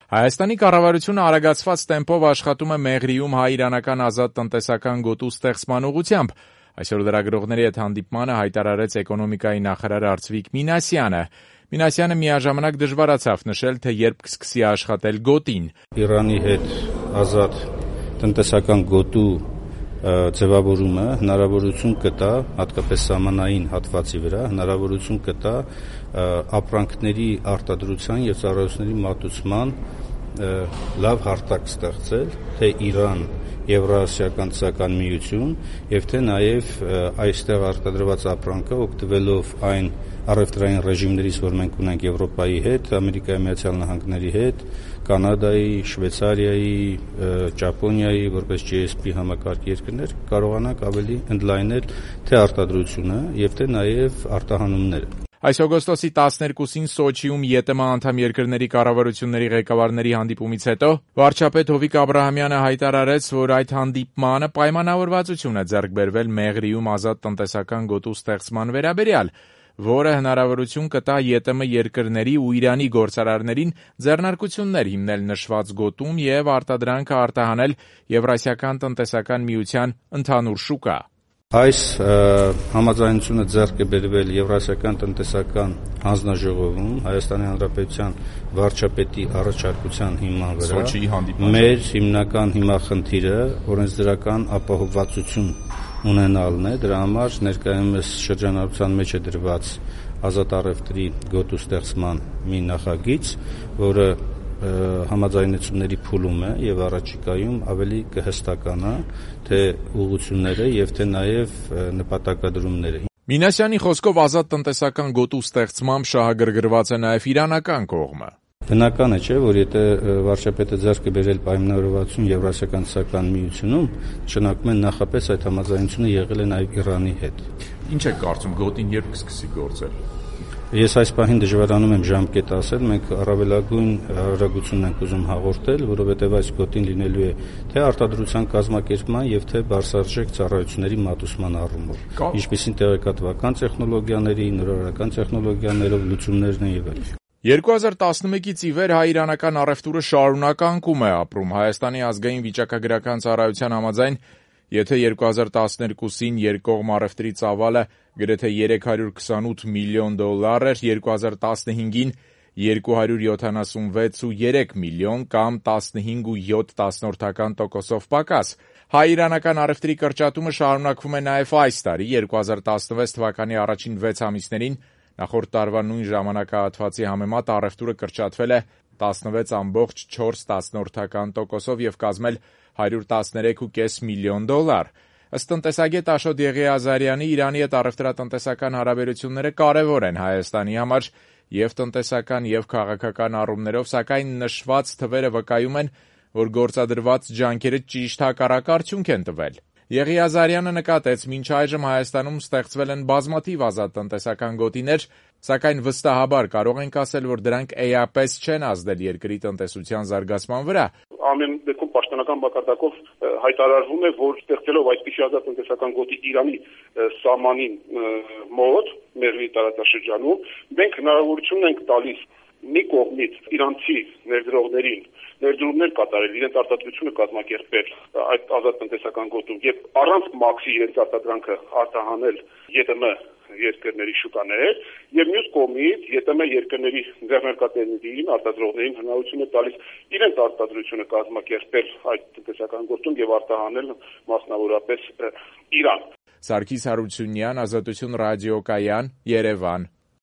Հայաստանի կառավարությունը արագացված տեմպով աշխատում է Մեղրիում հայ-իրանական ազատ տնտեսական գոտու ստեղծման ուղղությամբ։ Այսօր լրագրողների հետ հանդիպմանը հայտարարեց էկոնոմիկայի նախարար Արծվիկ Մինասյանը։ Մինասյանը միաժամանակ դժվարացավ նշել, թե երբ կսկսի աշխատել գոտին։ Իրանի հետ ազատ տնտեսական գոտու ձևավորումը հնարավորություն կտա, հատկապես սահմանային հատվածի վրա, հնարավորություն կտա ապրանքների արտադրության եւ ծառայությունների մատուցման լավ հարթակ ստեղծել, թե Իրան, Եվրասիական տնտեսական միություն եւ թե նաեւ այստեղ արտադրված ապրանքը օգտվելով այն առևտրային ռեժիմներից, որ մենք ունենք Եվրոպայի հետ, Ամերիկայի Միացյալ Նահանգների հետ, Կանադայի, Շվեյցարիայի, Ճապոնիայի, որպես GSP համակարգ երկրներ, կարողանանք ավելի ընդլայնել թե արտադրությունը եւ թե նաեւ արտահանումները։ Այս օգոստոսի 12-ին Սոչիում ԵՏՄ անդամ երկրների կառավարությունների ղեկավարների հանդիպումից հետո վարչապետ Հովիկ Աբրահամյանը հայտարարեց, որ այդ հանդիպմանը պայմանավորվածություն է ձեռք բերվել Մեղրիում ազատ տնտեսական գոտու ստեղծման վերաբերյալ, որը հնարավորություն կտա ԵՏՄ երկրների ու Իրանի գործարարներին ձեռնարկություններ հիմնել նշված գոտում եւ արտադրանքը արտահանել Եվրասիական տնտեսական միության ընդհանուր շուկա։ Այս համաձայնությունը ձեռք է բերվել Եվրասիական տնտեսական հանձնաժողովում Հայաստանի Հանրապետության վարչապետի առաջարկության հիման վրա։ Մեր հիմնական հիմախնդիրը օրենսդրական ապահովվածություն ունենալն է, դրա համար ներկայումս շրջանառության մեջ է դրված ազատ առևտրի գոտու ստեղծման մի նախագիծ, որը համաձայնությունների փուլում է եւ առաջիկայում ավելի կհստականա թե ուղղությունները եւ թե նաեւ նպատակադրումները։ Մինասյանի խոսքով ազատ տնտեսական գոտու ստեղծմամբ շահագրգռված է նաեւ իրանական կողմը։ Բնական է, չէ, որ եթե վարչապետը ձեռք է բերել պայմանավորվածություն Եվրասիական տնտեսական միությունում, շնակում են նախապես այդ համաձայնությունը եղել է նաեւ Իրանի հետ։ Ինչ եք կարծում, գոտին երբ կսկսի գործել։ Ես այս պահին դժվարանում եմ ժամկետ ասել, մենք առավելագույն արագություն ենք ուզում հաղորդել, որովհետև այս գոտին լինելու է թե արտադրության կազմակերպման եւ թե բարձրարժեք ծառայությունների մատուցման առումով, ինչպիսին տեղեկատվական տեխնոլոգիաների, նորարարական տեխնոլոգիաներով լուծումներն են եւ այլն։ 2011-ից ի վեր հայ-իրանական առևտուրը շարունակ անկում է ապրում։ Հայաստանի ազգային վիճակագրական ծառայության համաձայն, եթե 2012-ին երկկողմ առևտրի ծավալը գրեթե 328 միլիոն դոլար էր, 2015-ին 276.3 միլիոն կամ 15.7% պակաս։ Հայ-իրանական առևտրի կրճատումը շարունակվում է նաև այս տարի, 2016 թվականի առաջին 6 ամիսներին նախորդ տարվա նույն ժամանակահատվածի համեմատ առևտուրը կրճատվել է 16.4% եւ կազմել 113.5 միլիոն դոլար։ Ըստ տնտեսագետ Աշոտ Եղիազարյանի, Իրանի հետ առևտրատնտեսական հարաբերությունները կարևոր են Հայաստանի համար եւ տնտեսական եւ քաղաքական առումներով, սակայն նշված թվերը վկայում են, որ գործադրված ջանքերը ճիշտ հակառակ արդյունք են տվել։ Եղիազարյանը նկատեց, մինչ այժմ Հայաստանում ստեղծվել են բազմաթիվ ազատ տնտեսական գոտիներ, սակայն վստահաբար կարող ենք ասել, որ դրանք էապես չեն ազդել երկրի տնտեսության զարգացման վրա։ Ամեն դեպքում պաշտոնական մակարդակով հայտարարվում է, որ ստեղծելով այսպիսի ազատ տնտեսական գոտի Իրանի սահմանին մոտ, Մեղրի տարածաշրջանում, մենք հնարավորություն ենք տալիս մի կողմից իրանցի ներդրողներին ներդրումներ կատարել, իրենց արտադրությունը կազմակերպել այդ ազատ տնտեսական գոտում եւ առանց մաքսի իրենց արտադրանքը արտահանել ԵՏՄ երկրների շուկաներ եւ մյուս կողմից ԵՏՄ երկրների ձեռնարկատերերին, արտադրողներին հնարավորություն է տալիս իրենց արտադրությունը կազմակերպել այդ տնտեսական գոտում եւ արտահանել մասնավորապես Իրան։ Սարգիս Հարությունյան, Ազատություն ռադիոկայան, Երևան։